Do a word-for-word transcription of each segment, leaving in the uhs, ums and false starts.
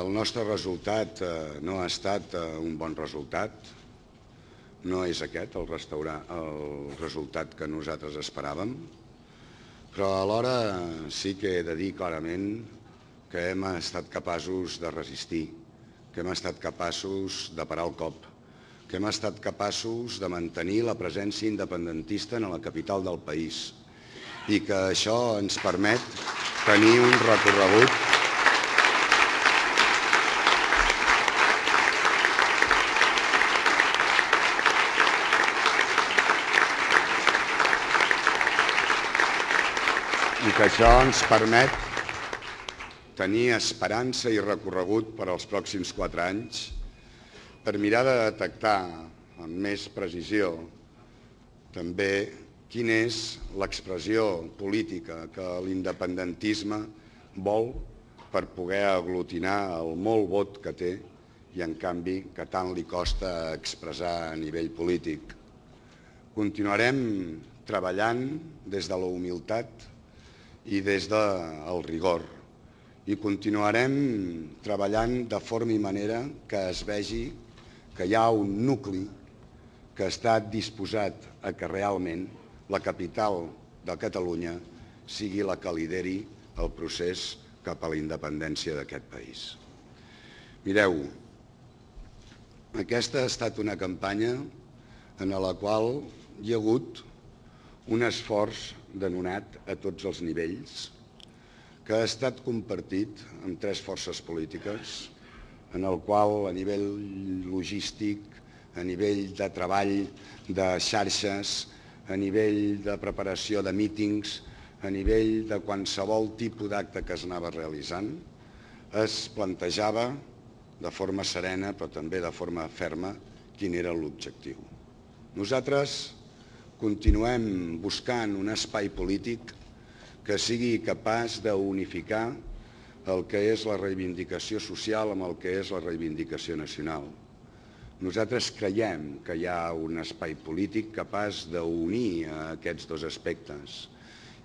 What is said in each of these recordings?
el nostre resultat no ha estat un bon resultat, no és aquest el resultat que nosaltres esperàvem, però alhora sí que he de dir clarament que hem estat capaços de resistir, que hem estat capaços de parar el cop, que hem estat capaços de mantenir la presència independentista en la capital del país i que això ens permet tenir un recorregut i que això ens permet tenir esperança i recorregut per als pròxims quatre anys per mirar de detectar amb més precisió també quina és l'expressió política que l'independentisme vol per poder aglutinar el molt vot que té i, en canvi, que tant li costa expressar a nivell polític. Continuarem treballant des de la humilitat i des del rigor i continuarem treballant de forma i manera que es vegi que hi ha un nucli que està disposat a que realment la capital de Catalunya sigui la que lideri el procés cap a la independència d'aquest país. Mireu, aquesta ha estat una campanya en la qual hi ha hagut un esforç denonat a tots els nivells que ha estat compartit amb tres forces polítiques en el qual a nivell logístic, a nivell de treball de xarxes, a nivell de preparació de mítings, a nivell de qualsevol tipus d'acte que es anava realitzant, es plantejava de forma serena però també de forma ferma quin era l'objectiu. Nosaltres continuem buscant un espai polític que sigui capaç d'unificar el que és la reivindicació social amb el que és la reivindicació nacional. Nosaltres creiem que hi ha un espai polític capaç d'unir aquests dos aspectes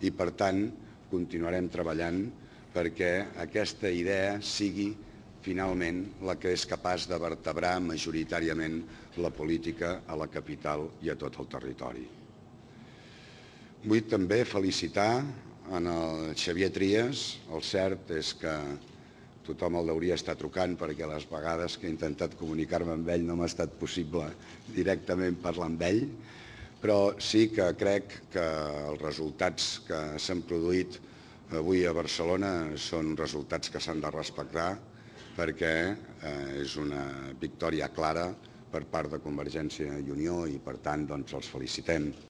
i, per tant, continuarem treballant perquè aquesta idea sigui finalment la que és capaç de vertebrar majoritàriament la política a la capital i a tot el territori. Vull també felicitar en el Xavier Trias. El cert és que tothom el hauria estar trucant perquè les vegades que he intentat comunicar-me amb ell no m'ha estat possible directament parlar amb ell, però sí que crec que els resultats que s'han produït avui a Barcelona són resultats que s'han de respectar perquè és una victòria clara per part de Convergència i Unió i, per tant, els felicitem.